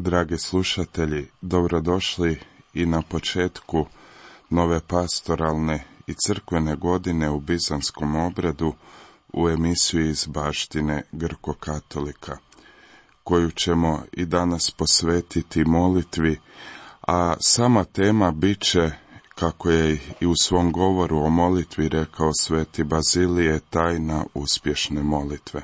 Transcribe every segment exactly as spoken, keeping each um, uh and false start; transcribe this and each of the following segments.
Dragi slušatelji, dobrodošli i na početku nove pastoralne i crkvene godine u bizanskom obredu u emisiju iz baštine Grko-katolika, koju ćemo i danas posvetiti molitvi, a sama tema bit će, kako je i u svom govoru o molitvi rekao sveti Bazilije, tajna uspješne molitve.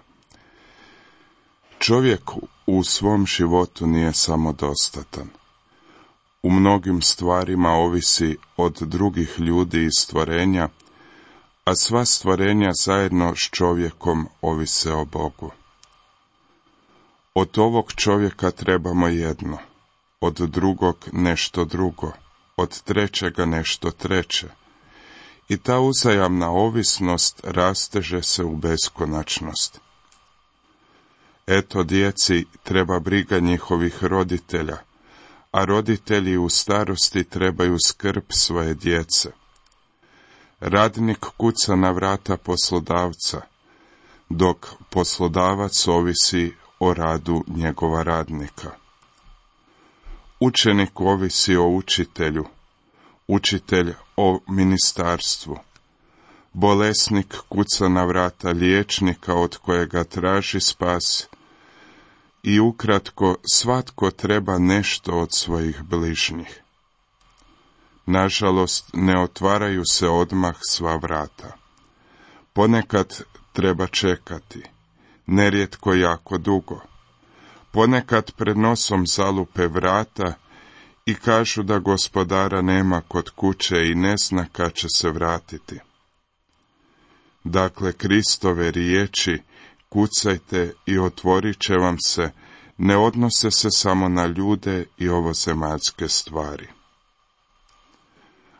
Čovjek u svom životu nije samodostatan. U mnogim stvarima ovisi od drugih ljudi i stvorenja, a sva stvorenja zajedno s čovjekom ovise o Bogu. Od ovog čovjeka trebamo jedno, od drugog nešto drugo, od trećega nešto treće. I ta uzajamna ovisnost rasteže se u beskonačnost. Eto, djeci treba briga njihovih roditelja, a roditelji u starosti trebaju skrb svoje djece. Radnik kuca na vrata poslodavca, dok poslodavac ovisi o radu njegova radnika. Učenik ovisi o učitelju, učitelj o ministarstvu. Bolesnik kuca na vrata liječnika od kojega traži spas. I ukratko, svatko treba nešto od svojih bližnjih. Nažalost, ne otvaraju se odmah sva vrata. Ponekad treba čekati, nerijetko jako dugo. Ponekad pred nosom zalupe vrata i kažu da gospodara nema kod kuće i ne zna kad će se vratiti. Dakle, Kristove riječi kucajte i otvorit će vam se, ne odnose se samo na ljude i ovozemaljske stvari.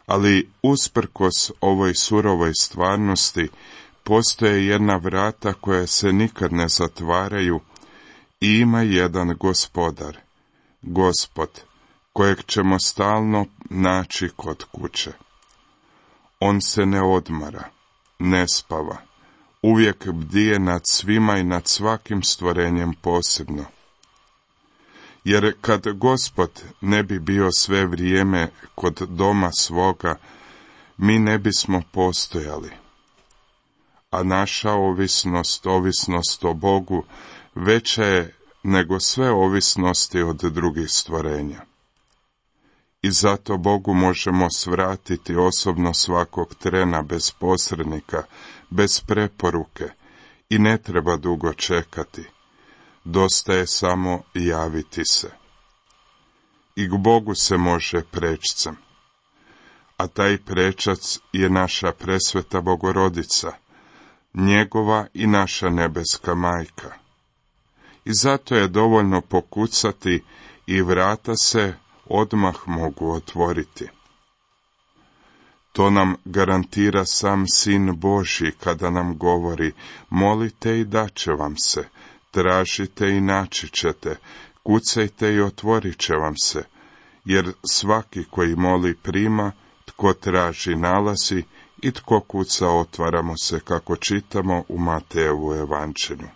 Ali usprkos ovoj surovoj stvarnosti, postoje jedna vrata koja se nikad ne zatvaraju i ima jedan gospodar, Gospod, kojeg ćemo stalno naći kod kuće. On se ne odmara, ne spava, uvijek bdije nad svima i nad svakim stvorenjem posebno. Jer kad Gospod ne bi bio sve vrijeme kod doma svoga, mi ne bismo postojali. A naša ovisnost, ovisnost o Bogu, veća je nego sve ovisnosti od drugih stvorenja. I zato Bogu možemo svratiti osobno svakog trena bez posrednika, bez preporuke i ne treba dugo čekati. Dosta je samo javiti se. I k Bogu se može prečcem. A taj prečac je naša presveta Bogorodica, njegova i naša nebeska majka. I zato je dovoljno pokucati i vrata se odmah mogu otvoriti. To nam garantira sam Sin Božji kada nam govori: molite i daće vam se, tražite i naći ćete, kucajte i otvorit će vam se, jer svaki koji moli prima, tko traži nalazi i tko kuca otvara mu se, kako čitamo u Matejevu evanđelju.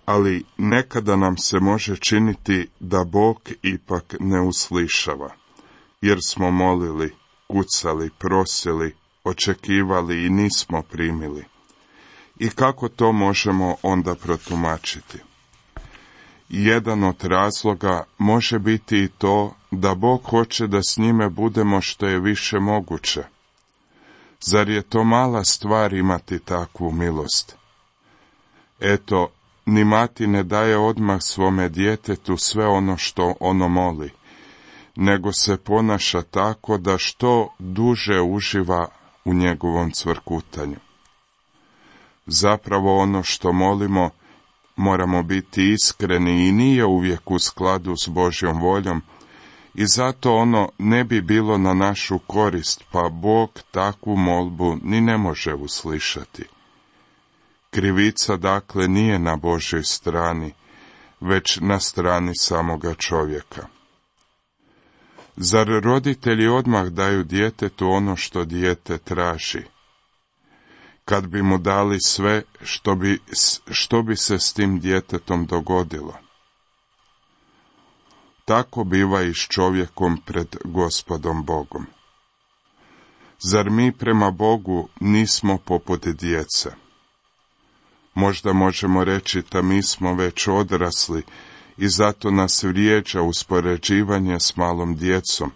Ali nekada nam se može činiti da Bog ipak ne uslišava, jer smo molili, kucali, prosili, očekivali i nismo primili. I kako to možemo onda protumačiti? Jedan od razloga može biti i to da Bog hoće da s njime budemo što je više moguće. Zar je to mala stvar imati takvu milost? Eto, ni mati ne daje odmah svome djetetu sve ono što ono moli, nego se ponaša tako da što duže uživa u njegovom cvrkutanju. Zapravo ono što molimo moramo biti iskreni i nije uvijek u skladu s Božjom voljom i zato ono ne bi bilo na našu korist, pa Bog takvu molbu ni ne može uslišati. Krivica dakle nije na Božjoj strani, već na strani samoga čovjeka. Zar roditelji odmah daju djetetu ono što dijete traži? Kad bi mu dali sve, što bi, što bi se s tim djetetom dogodilo? tako biva i s čovjekom pred Gospodom Bogom. Zar mi prema Bogu nismo poput djece? Možda možemo reći da mi smo već odrasli i zato nas vrijeđa uspoređivanje s malom djecom.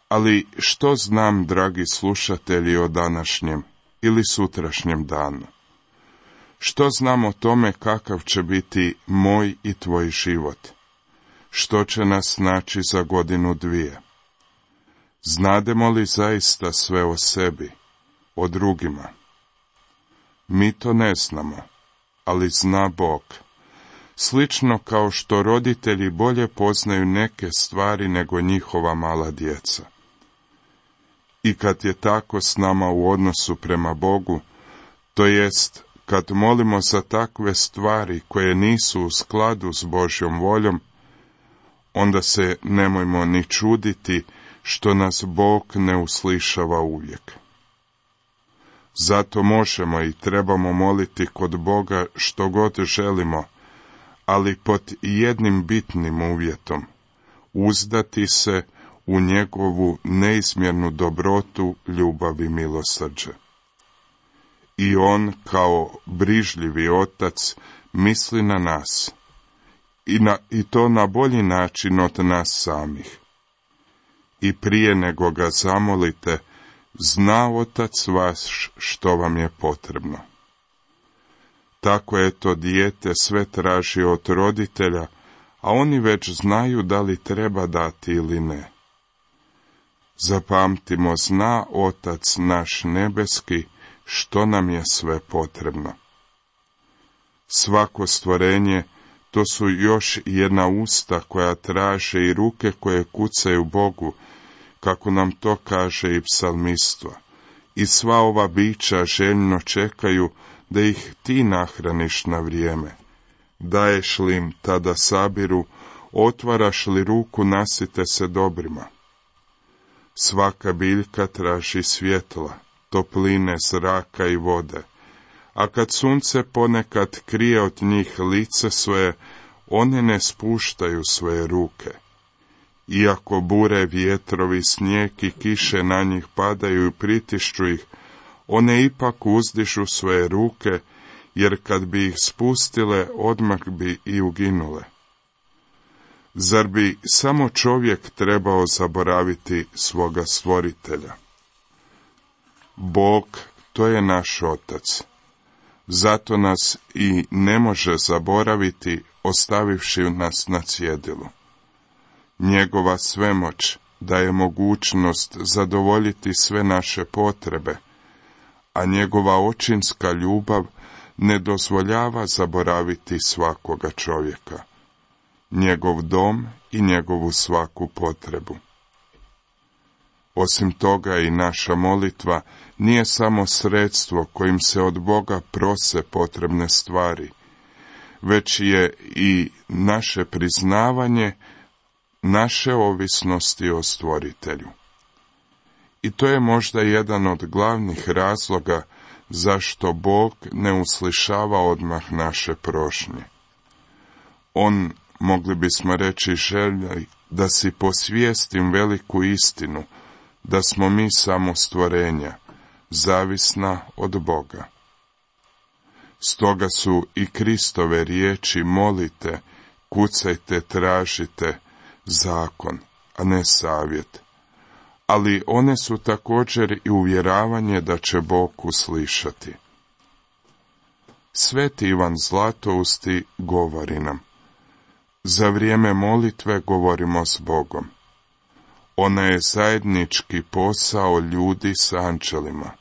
Ali što znam, dragi slušatelji, o današnjem ili sutrašnjem danu? Što znam o tome kakav će biti moj i tvoj život? Što će nas naći za godinu dvije? Znademo li zaista sve o sebi, o drugima? Mi to ne znamo, ali zna Bog. Slično kao što roditelji bolje poznaju neke stvari nego njihova mala djeca. I kad je tako s nama u odnosu prema Bogu, to jest kad molimo za takve stvari koje nisu u skladu s Božjom voljom, onda se nemojmo ni čuditi što nas Bog ne uslišava uvijek. Zato možemo i trebamo moliti kod Boga što god želimo, ali pod jednim bitnim uvjetom, uzdati se u njegovu neizmjernu dobrotu, ljubav i milosrđe. I on, kao brižljivi otac, misli na nas, i, na, i to na bolji način od nas samih. I prije nego ga zamolite, zna otac vaš što vam je potrebno. Tako je to dijete sve traži od roditelja, a oni već znaju da li treba dati ili ne. Zapamtimo, zna Otac naš nebeski što nam je sve potrebno. Svako stvorenje, to su još jedna usta koja traže i ruke koje kucaju Bogu, kako nam to kaže i psalmistva. I sva ova bića željno čekaju da ih ti nahraniš na vrijeme. Daješ li im tada sabiru, otvaraš li ruku, nasite se dobrima. Svaka biljka traži svjetla, topline, zraka i vode, a kad sunce ponekad krije od njih lice svoje, one ne spuštaju svoje ruke. Iako bure, vjetrovi, snijeg i kiše na njih padaju i pritišću ih, one ipak uzdižu svoje ruke, jer kad bi ih spustile, odmah bi i uginule. Zar bi samo čovjek trebao zaboraviti svoga stvoritelja? Bog, to je naš Otac. Zato nas i ne može zaboraviti, ostavivši nas na cjedilu. Njegova svemoć daje mogućnost zadovoljiti sve naše potrebe, a njegova očinska ljubav ne dozvoljava zaboraviti svakoga čovjeka, njegov dom i njegovu svaku potrebu. Osim toga i naša molitva nije samo sredstvo kojim se od Boga prose potrebne stvari, već je i naše priznavanje naše ovisnosti o Stvoritelju. I to je možda jedan od glavnih razloga zašto Bog ne uslišava odmah naše prošnje. On, mogli bismo reći, želi da si posvijestim veliku istinu, da smo mi samo stvorenja, zavisna od Boga. Stoga su i Kristove riječi molite, kucajte, tražite, zakon, a ne savjet. Ali one su također i uvjeravanje da će Bog uslišati. Sveti Ivan Zlatousti govori nam: za vrijeme molitve govorimo s Bogom. Ona je zajednički posao ljudi s anđelima.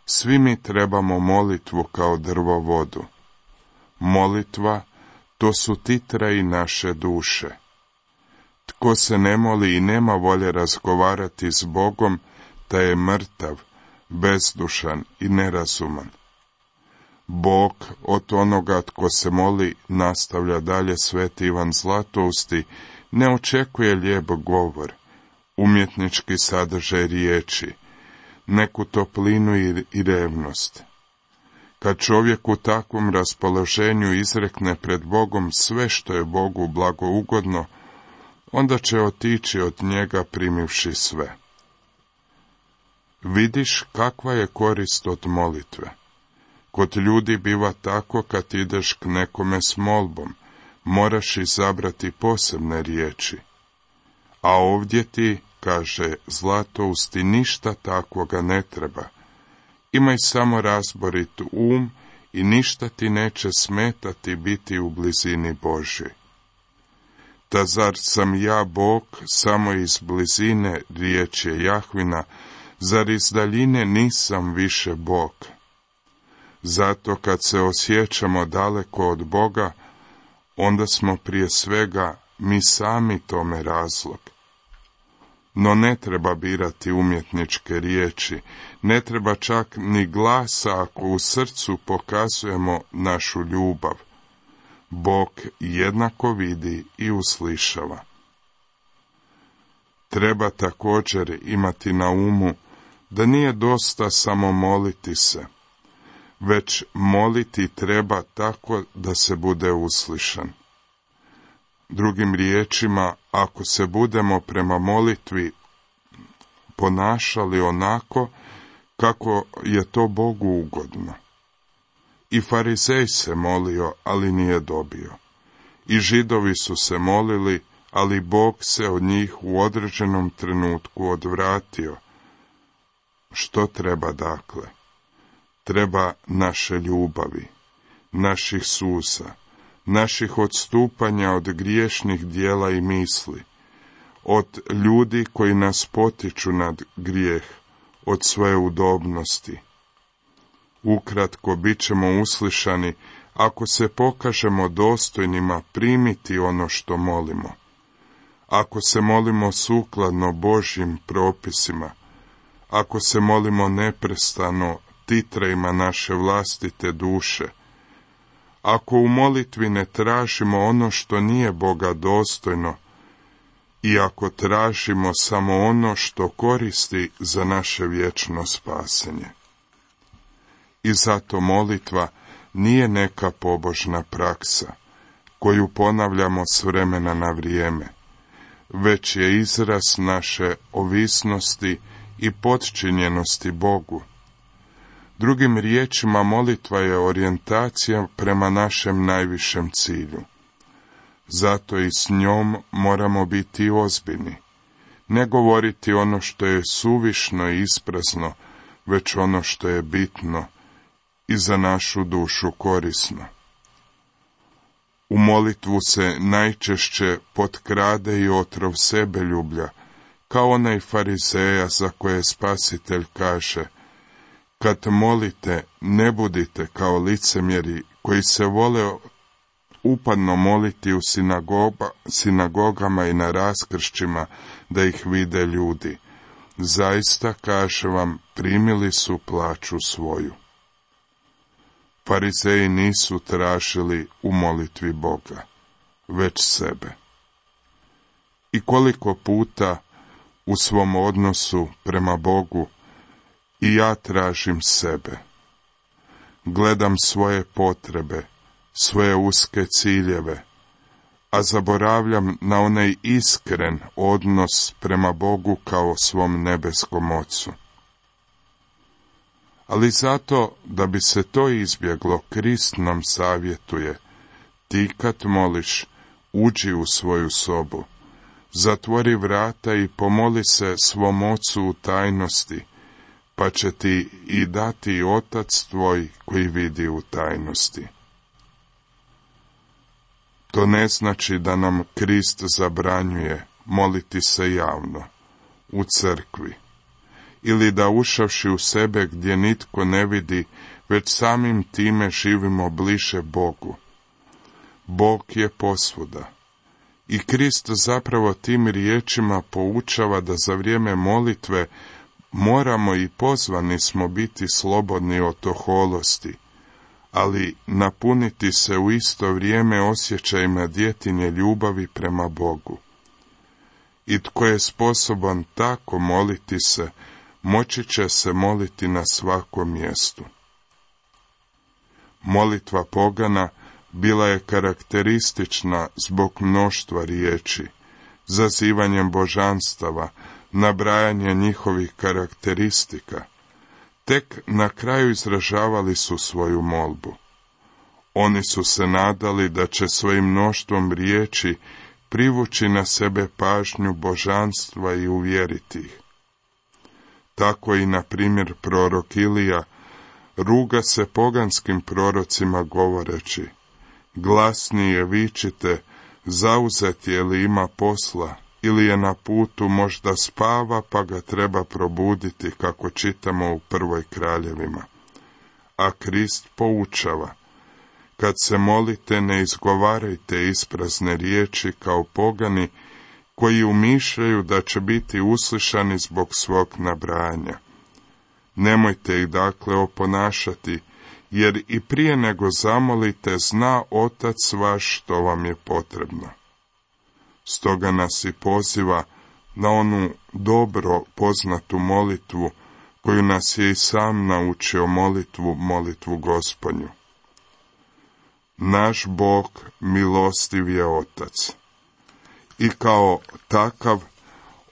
Svi mi trebamo molitvu kao drvo vodu. Molitva, to su titraji naše duše. Tko se ne moli i nema volje razgovarati s Bogom, taj je mrtav, bezdušan i nerazuman. Bog od onoga tko se moli, nastavlja dalje sveti Ivan Zlatousti, ne očekuje lijep govor, umjetnički sadržaj riječi, neku toplinu i, i revnost. Kad čovjek u takvom raspoloženju izrekne pred Bogom sve što je Bogu blagougodno, onda će otići od njega primivši sve. Vidiš kakva je korist od molitve. Kod ljudi biva tako kad ideš k nekome s molbom, moraš izabrati posebne riječi. A ovdje ti, kaže Zlatousti, ništa takvoga ne treba. Imaj samo razborit um i ništa ti neće smetati biti u blizini Božjoj. Ta zar sam ja Bog samo iz blizine, riječ je Jahvina, zar iz daljine nisam više Bog? Zato kad se osjećamo daleko od Boga, onda smo prije svega mi sami tome razlog. No ne treba birati umjetničke riječi, ne treba čak ni glasa ako u srcu pokazujemo našu ljubav. Bog jednako vidi i uslišava. Treba također imati na umu da nije dosta samo moliti se, već moliti treba tako da se bude uslišan. Drugim riječima, ako se budemo prema molitvi ponašali onako kako je to Bogu ugodno. I farizej se molio, ali nije dobio. I židovi su se molili, ali Bog se od njih u određenom trenutku odvratio. Što treba dakle? Treba naše ljubavi, naših suza, naših odstupanja od griješnih dijela i misli, od ljudi koji nas potiču nad grijeh, od svoje udobnosti. Ukratko, bit ćemo uslišani ako se pokažemo dostojnima primiti ono što molimo. Ako se molimo sukladno Božjim propisima, ako se molimo neprestano titrajima naše vlastite duše, ako u molitvi ne tražimo ono što nije Boga dostojno i ako tražimo samo ono što koristi za naše vječno spasenje. I zato molitva nije neka pobožna praksa koju ponavljamo s vremena na vrijeme, već je izraz naše ovisnosti i potčinjenosti Bogu. Drugim riječima, molitva je orijentacija prema našem najvišem cilju. Zato i s njom moramo biti ozbiljni. Ne govoriti ono što je suvišno i isprazno, već ono što je bitno i za našu dušu korisno. U molitvu se najčešće potkrade i otrov sebeljublja, kao onaj farizeja za koje Spasitelj kaže: kad molite, ne budite kao licemjeri koji se vole upadno moliti u sinagoga, sinagogama i na raskršćima da ih vide ljudi. Zaista, kaže vam, primili su plaću svoju. Farizeji nisu tražili u molitvi Boga, već sebe. I koliko puta u svom odnosu prema Bogu i ja tražim sebe. Gledam svoje potrebe, svoje uske ciljeve, a zaboravljam na onaj iskren odnos prema Bogu kao svom nebeskom Ocu. Ali zato, da bi se to izbjeglo, Krist nam savjetuje: ti kad moliš, uđi u svoju sobu, zatvori vrata i pomoli se svom Ocu u tajnosti, pa će ti i dati Otac tvoj koji vidi u tajnosti. To ne znači da nam Krist zabranjuje moliti se javno, u crkvi, ili da ušavši u sebe gdje nitko ne vidi, već samim time živimo bliže Bogu. Bog je posvuda. I Krist zapravo tim riječima poučava da za vrijeme molitve moramo i pozvani smo biti slobodni od oholosti, ali napuniti se u isto vrijeme osjećajima djetinje ljubavi prema Bogu. I tko je sposoban tako moliti se, moći će se moliti na svakom mjestu. Molitva pogana bila je karakteristična zbog mnoštva riječi, zazivanjem božanstava, nabrajanje njihovih karakteristika. Tek na kraju izražavali su svoju molbu. Oni su se nadali da će svojim mnoštvom riječi privući na sebe pažnju božanstva i uvjeriti ih. Tako i, na primjer, prorok Ilija ruga se poganskim prorocima govoreći: glasnije vičite, zauzet je li ima posla, ili je na putu, možda spava pa ga treba probuditi, kako čitamo u prvoj Kraljevima. A Krist poučava: kad se molite, ne izgovarajte isprazne riječi kao pogani, koji umišljaju da će biti uslišani zbog svog nabrajanja. Nemojte ih dakle oponašati, jer i prije nego zamolite, zna Otac vaš što vam je potrebno. Stoga nas i poziva na onu dobro poznatu molitvu, koju nas je i sam naučio, molitvu, molitvu Gospodnju. Naš Bog milostiv je Otac. I kao takav,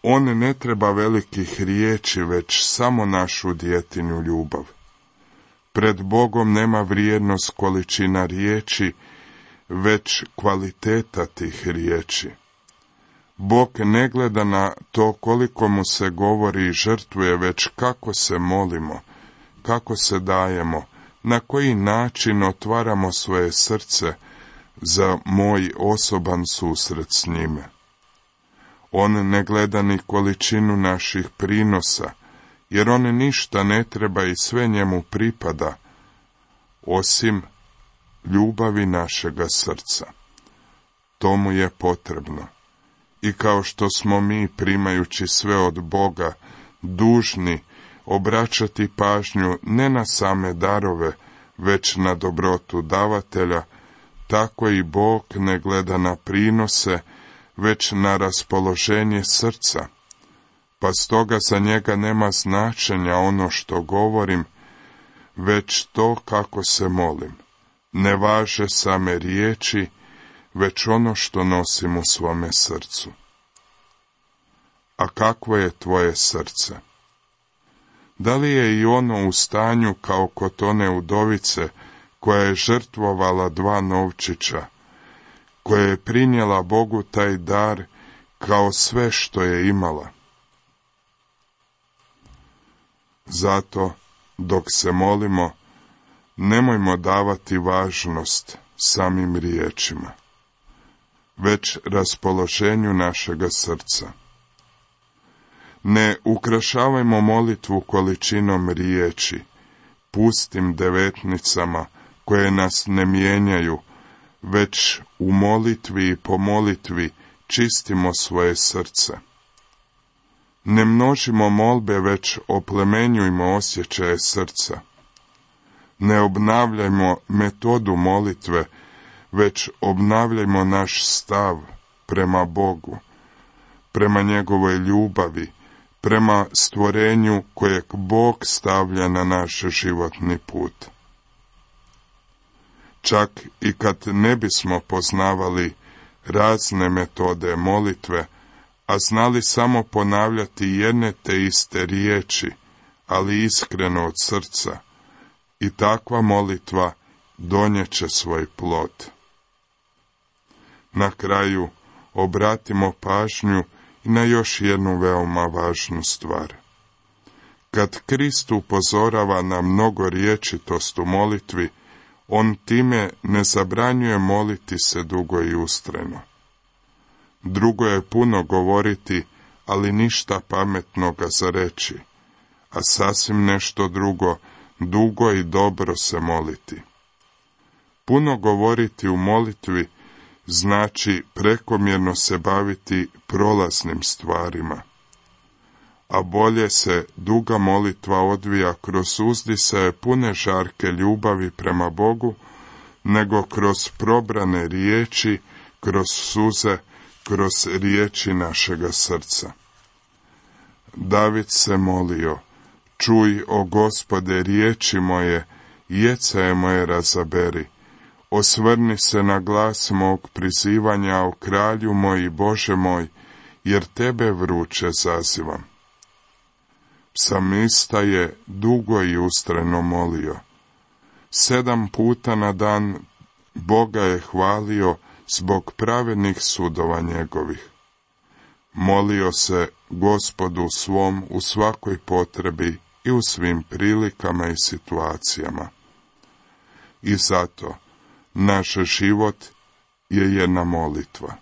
on ne treba velikih riječi, već samo našu djetinju ljubav. Pred Bogom nema vrijednost količina riječi, već kvaliteta tih riječi. Bog ne gleda na to koliko mu se govori i žrtvuje, već kako se molimo, kako se dajemo, na koji način otvaramo svoje srce za moj osoban susret s njime. On ne gleda ni količinu naših prinosa, jer on ništa ne treba i sve njemu pripada, osim ljubavi našega srca. To mu je potrebno. I kao što smo mi, primajući sve od Boga, dužni obraćati pažnju ne na same darove, već na dobrotu davatelja, tako i Bog ne gleda na prinose, već na raspoloženje srca. Pa stoga za njega nema značenja ono što govorim, već to kako se molim. Ne važe same riječi, već ono što nosim u svome srcu. A kakvo je tvoje srce? Da li je i ono u stanju kao kod one udovice koja je žrtvovala dva novčića, koja je prinijela Bogu taj dar kao sve što je imala? Zato, dok se molimo, nemojmo davati važnost samim riječima, već raspoloženju našega srca. Ne ukrašavajmo molitvu količinom riječi, pustim devetnicama koje nas ne mijenjaju, već u molitvi i po molitvi čistimo svoje srce. Ne množimo molbe, već oplemenjujmo osjećaje srca. Ne obnavljajmo metodu molitve, već obnavljajmo naš stav prema Bogu, prema njegovoj ljubavi, prema stvorenju kojeg Bog stavlja na naš životni put. Čak i kad ne bismo poznavali razne metode molitve, a znali samo ponavljati jedne te iste riječi, ali iskreno od srca, i takva molitva donijeće svoj plod. Na kraju obratimo pažnju i na još jednu veoma važnu stvar. Kad Krist upozorava na mnogo riječitost u molitvi, on time ne zabranjuje moliti se dugo i ustrajno. Drugo je puno govoriti, ali ništa pametnoga za reći, a sasvim nešto drugo, dugo i dobro se moliti. Puno govoriti u molitvi znači prekomjerno se baviti prolaznim stvarima, a bolje se duga molitva odvija kroz uzdisaje pune žarke ljubavi prema Bogu, nego kroz probrane riječi, kroz suze, kroz riječi našega srca. David se molio: čuj, o Gospode, riječi moje, jecaje moje razaberi. Osvrni se na glas mog prizivanja, o kralju moj i Bože moj, jer tebe vruće zazivam. Psalmista je dugo i ustrajno molio. Sedam puta na dan Boga je hvalio zbog pravednih sudova njegovih. Molio se Gospodu svom u svakoj potrebi i u svim prilikama i situacijama. I zato naš život je jedna molitva.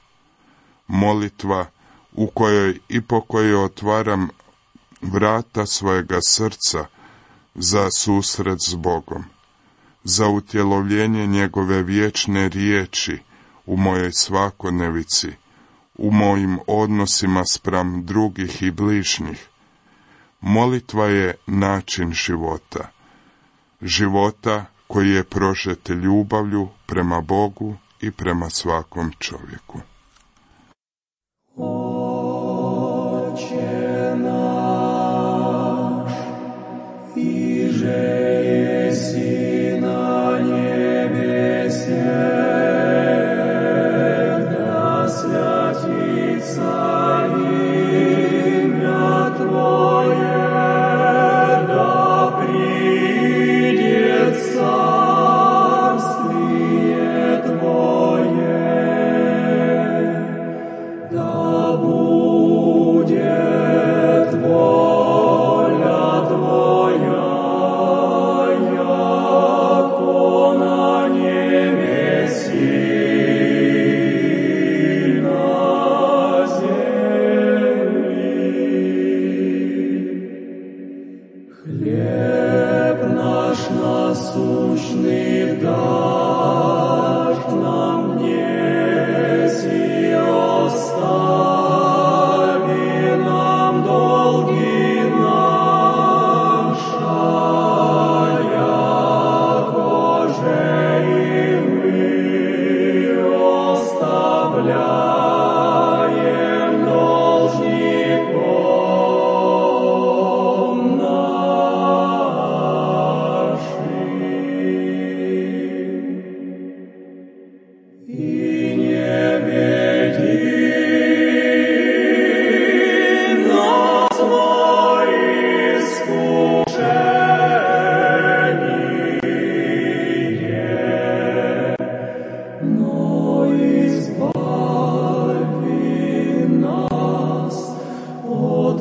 Molitva u kojoj i po kojoj otvaram vrata svojega srca za susret s Bogom, za utjelovljenje njegove vječne riječi u mojoj svakodnevici, u mojim odnosima spram drugih i bližnjih. Molitva je način života. Života koji je prožet ljubavlju prema Bogu i prema svakom čovjeku. Oče naš, iže jesi na nebese, da svjatica imя Tvoje, da priđe carствие Tvoje, da bude voля Tvoja, jako na nebesi i na zemlji. Hljeb naš nasušni daš nam dnes i ostavi nam dolgi naša, jakože i mi ostavljajem dolžnikom našim. I ne vedi na svoje iskušenje, no izbavi nas od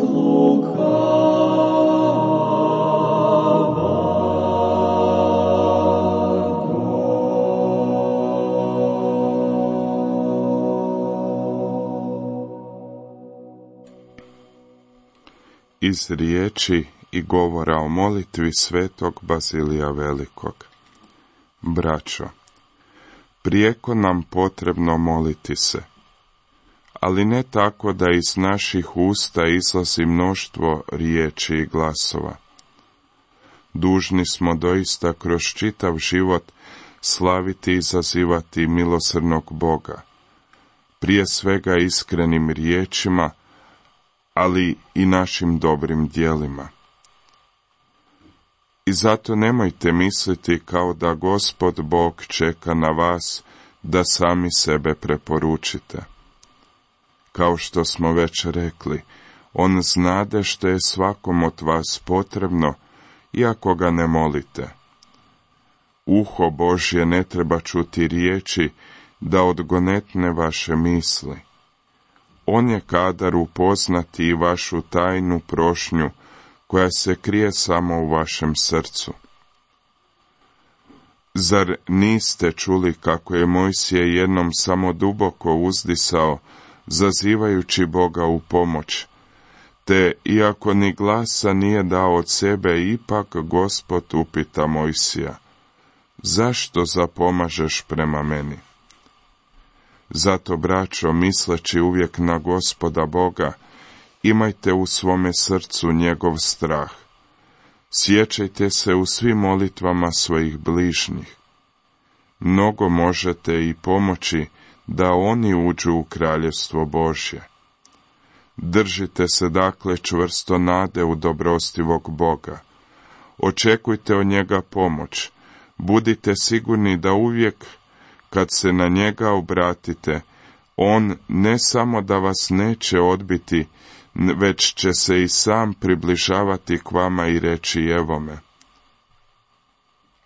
Iz riječi i govora o molitvi svetog Bazilija Velikog. Braćo, prijeko nam potrebno moliti se, ali ne tako da iz naših usta izlazi mnoštvo riječi i glasova. Dužni smo doista kroz čitav život slaviti i zazivati milosrdnog Boga, prije svega iskrenim riječima, ali i našim dobrim djelima. I zato nemojte misliti kao da Gospod Bog čeka na vas da sami sebe preporučite. Kao što smo već rekli, on znade što je svakom od vas potrebno, iako ga ne molite. Uho Božje ne treba čuti riječi da odgonetne vaše misli. On je kadar upoznati i vašu tajnu prošnju, koja se krije samo u vašem srcu. Zar niste čuli kako je Mojsije jednom samo duboko uzdisao, zazivajući Boga u pomoć, te, iako ni glasa nije dao od sebe, ipak Gospod upita Mojsija: zašto zapomažeš prema meni? Zato, braćo, misleći uvijek na Gospoda Boga, imajte u svome srcu njegov strah. Sjećajte se u svim molitvama svojih bližnjih. Mnogo možete i pomoći da oni uđu u kraljevstvo Božje. Držite se dakle čvrsto nade u dobrostivog Boga. Očekujte od njega pomoć. Budite sigurni da uvijek kad se na njega obratite, On ne samo da vas neće odbiti, već će se i sam približavati k vama i reći evo me.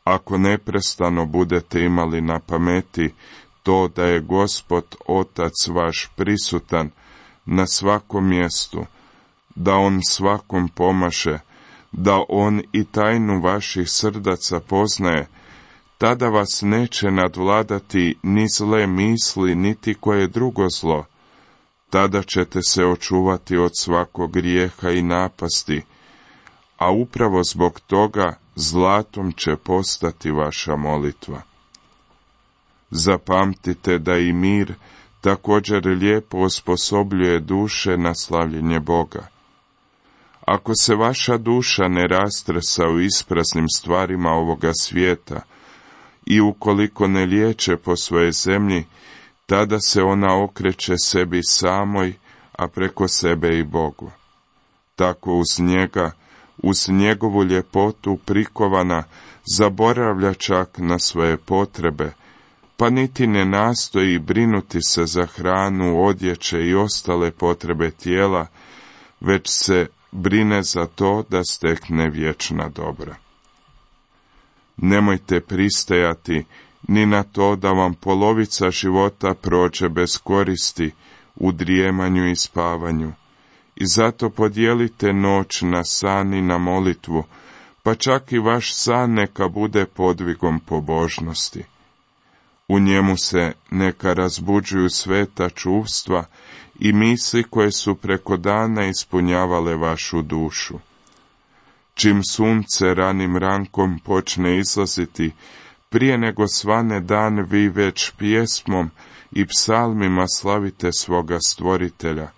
Ako neprestano budete imali na pameti to da je Gospod Otac vaš prisutan na svakom mjestu, da on svakom pomaže, da on i tajnu vaših srdaca poznaje, tada vas neće nadvladati ni zle misli, niti koje drugo zlo. Tada ćete se očuvati od svakog grijeha i napasti, a upravo zbog toga zlatom će postati vaša molitva. Zapamtite da i mir također lijepo osposobljuje duše na slavljenje Boga. Ako se vaša duša ne rastresa u ispraznim stvarima ovoga svijeta i ukoliko ne liječe po svojoj zemlji, tada se ona okreće sebi samoj, a preko sebe i Bogu. Tako uz njega, uz njegovu ljepotu prikovana, zaboravlja čak na svoje potrebe, pa niti ne nastoji brinuti se za hranu, odjeće i ostale potrebe tijela, već se brine za to da stekne vječna dobra. Nemojte pristajati ni na to da vam polovica života prođe bez koristi u drijemanju i spavanju, i zato podijelite noć na san i na molitvu, pa čak i vaš san neka bude podvigom pobožnosti. U njemu se neka razbuđuju sveta čuvstva i misli koje su preko dana ispunjavale vašu dušu. Čim sunce ranim rankom počne izlaziti, prije nego svane dan vi već pjesmom i psalmima slavite svoga Stvoritelja,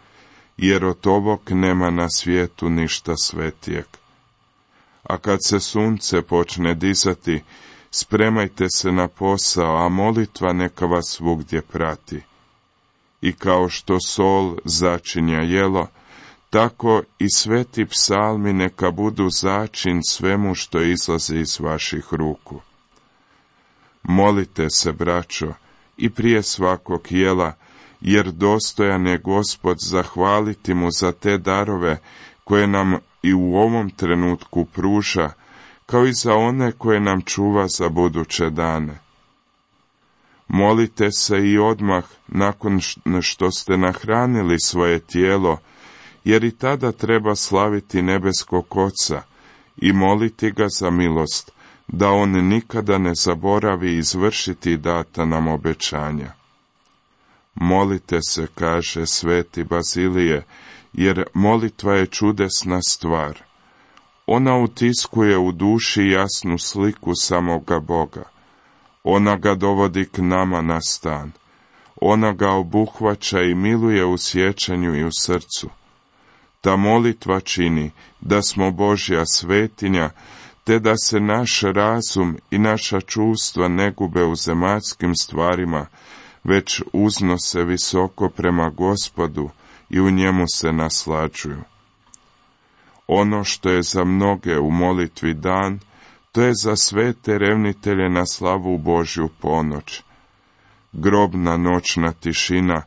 jer od ovog nema na svijetu ništa svetijeg. A kad se sunce počne dizati, spremajte se na posao, a molitva neka vas svugdje prati. I kao što sol začinja jelo, tako i sveti psalmi neka budu začin svemu što izlazi iz vaših ruku. Molite se, braćo, i prije svakog jela, jer dostojan je Gospod zahvaliti mu za te darove koje nam i u ovom trenutku pruža, kao i za one koje nam čuva za buduće dane. Molite se i odmah nakon što ste nahranili svoje tijelo, jer i tada treba slaviti nebeskog Oca i moliti ga za milost, da on nikada ne zaboravi izvršiti data nam obećanja. Molite se, kaže sveti Bazilije, jer molitva je čudesna stvar. Ona utiskuje u duši jasnu sliku samoga Boga. Ona ga dovodi k nama na stan. Ona ga obuhvaća i miluje u sjećanju i u srcu. Ta molitva čini da smo Božja svetinja, te da se naš razum i naša čuvstva ne gube u zemaljskim stvarima, već uznose visoko prema Gospodu i u njemu se naslađuju. Ono što je za mnoge u molitvi dan, to je za sve te revnitelje na slavu Božju ponoć. Grobna noćna tišina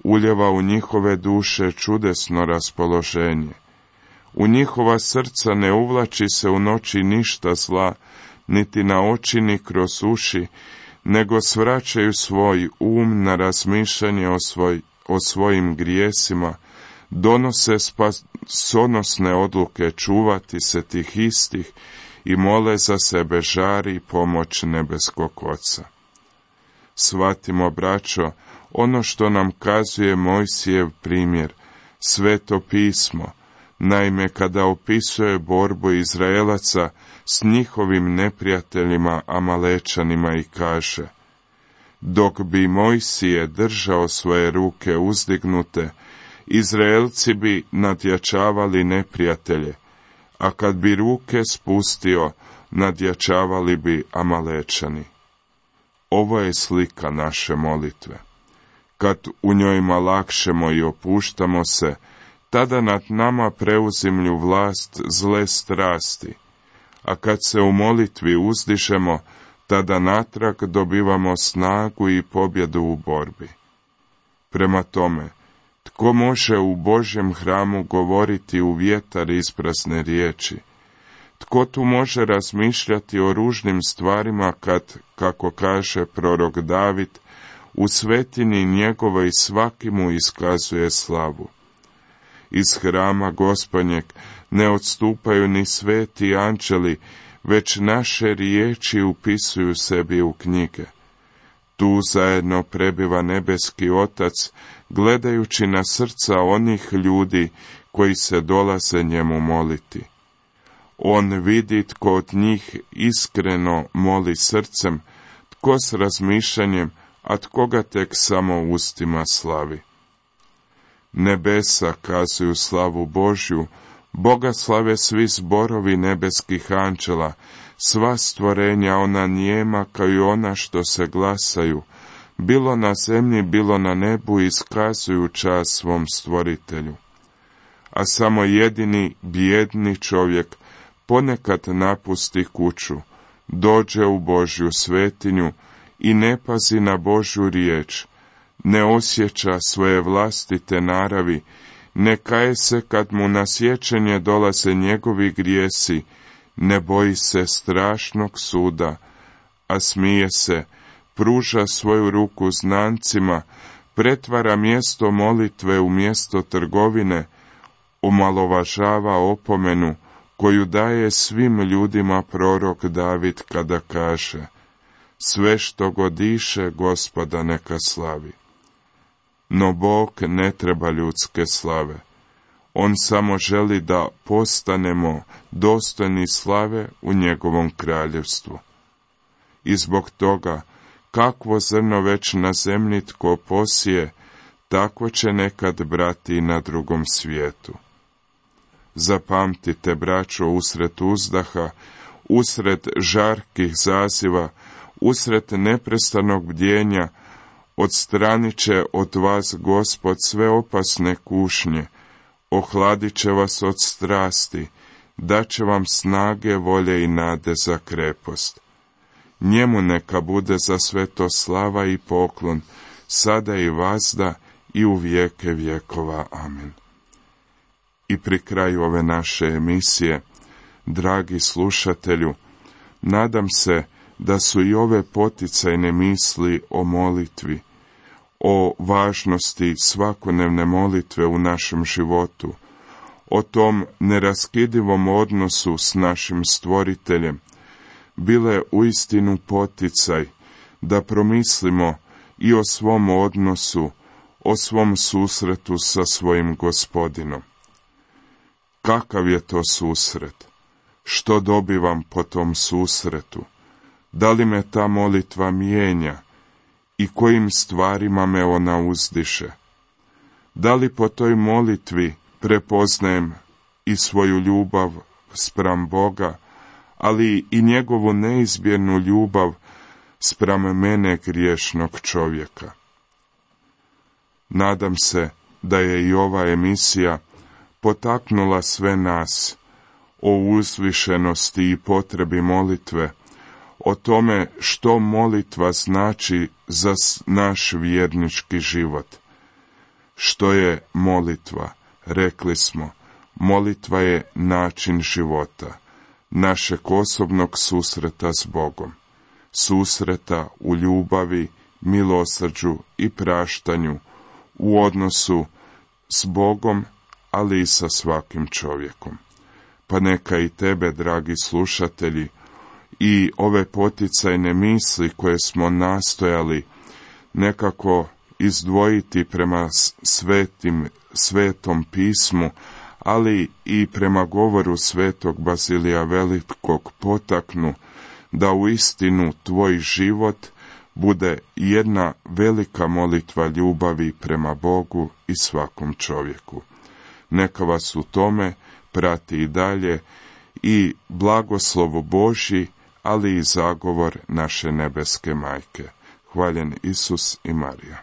uljeva u njihove duše čudesno raspoloženje. U njihova srca ne uvlači se u noći ništa zla, niti na oči ni kroz uši, nego svraćaju svoj um na razmišljanje o, svoj, o svojim grijesima, donose spasonosne odluke čuvati se tih istih i mole za sebe žar i pomoć nebeskog Oca. Shvatimo, braćo, ono što nam kazuje Mojsijev primjer, Sveto pismo, naime kada opisuje borbu Izraelaca s njihovim neprijateljima Amalečanima i kaže: dok bi Mojsije držao svoje ruke uzdignute, Izraelci bi nadjačavali neprijatelje, a kad bi ruke spustio, nadjačavali bi Amalečani. Ovo je slika naše molitve. Kad u njojima lakšemo i opuštamo se, tada nad nama preuzimlju vlast zle strasti, a kad se u molitvi uzdižemo, tada natrag dobivamo snagu i pobjedu u borbi. Prema tome, tko može u Božjem hramu govoriti u vjetar isprazne riječi? Tko tu može razmišljati o ružnim stvarima kad, kako kaže prorok David, u svetini njegovoj svaki mu iskazuje slavu? Iz hrama Gospodnjeg ne odstupaju ni sveti anđeli, već naše riječi upisuju sebi u knjige. Tu zajedno prebiva nebeski Otac, gledajući na srca onih ljudi koji se dolaze njemu moliti. On vidi tko od njih iskreno moli srcem, tko s razmišljanjem, a tko ga tek samo ustima slavi. Nebesa kazuju slavu Božju, Boga slave svi zborovi nebeskih anđela, sva stvorenja ona nijema kao i ona što se glasaju, bilo na zemlji, bilo na nebu iskazuju čast svom stvoritelju. A samo jedini bijedni čovjek ponekad napusti kuću, dođe u Božju svetinju i ne pazi na Božju riječ, ne osjeća svoje vlastite naravi, ne kaje se kad mu na sjećanje dolaze njegovi grijesi, ne boji se strašnog suda, a smije se, pruža svoju ruku znancima, pretvara mjesto molitve u mjesto trgovine, omalovažava opomenu koju daje svim ljudima prorok David kada kaže: sve što god diše Gospoda neka slavi. No Bog ne treba ljudske slave. On samo želi da postanemo dostojni slave u njegovom kraljevstvu. I zbog toga, kakvo zrno već na zemlji tko posije, tako će nekad brati i na drugom svijetu. Zapamtite, braćo, usred uzdaha, usred žarkih zaziva, usred neprestanog bdjenja, odstranit će od vas Gospod sve opasne kušnje, ohladit će vas od strasti, dat će vam snage, volje i nade za krepost. Njemu neka bude za sve to slava i poklon, sada i vazda i u vijeke vjekova. Amen. I pri kraju ove naše emisije, dragi slušatelju, nadam se da su i ove poticajne misli o molitvi, o važnosti svakodnevne molitve u našem životu, o tom neraskidivom odnosu s našim stvoriteljem, bile uistinu poticaj da promislimo i o svom odnosu, o svom susretu sa svojim Gospodinom. Kakav je to susret? Što dobivam po tom susretu? Da li me ta molitva mijenja i kojim stvarima me ona uzdiše? Da li po toj molitvi prepoznajem i svoju ljubav spram Boga, ali i njegovu neizmjernu ljubav spram mene griješnog čovjeka? Nadam se da je i ova emisija potaknula sve nas o uzvišenosti i potrebi molitve, o tome što molitva znači za naš vjernički život. Što je molitva? Rekli smo, molitva je način života, našeg osobnog susreta s Bogom, susreta u ljubavi, milosrđu i praštanju, u odnosu s Bogom, ali i sa svakim čovjekom. Pa neka i tebe, dragi slušatelji, i ove poticajne misli koje smo nastojali nekako izdvojiti prema svetim, svetom pismu, ali i prema govoru svetog Bazilija Velikog potaknu, da u istinu tvoj život bude jedna velika molitva ljubavi prema Bogu i svakom čovjeku. Neka vas u tome prati i dalje i blagoslovo Božji, ali i zagovor naše nebeske majke. Hvaljen Isus i Marija.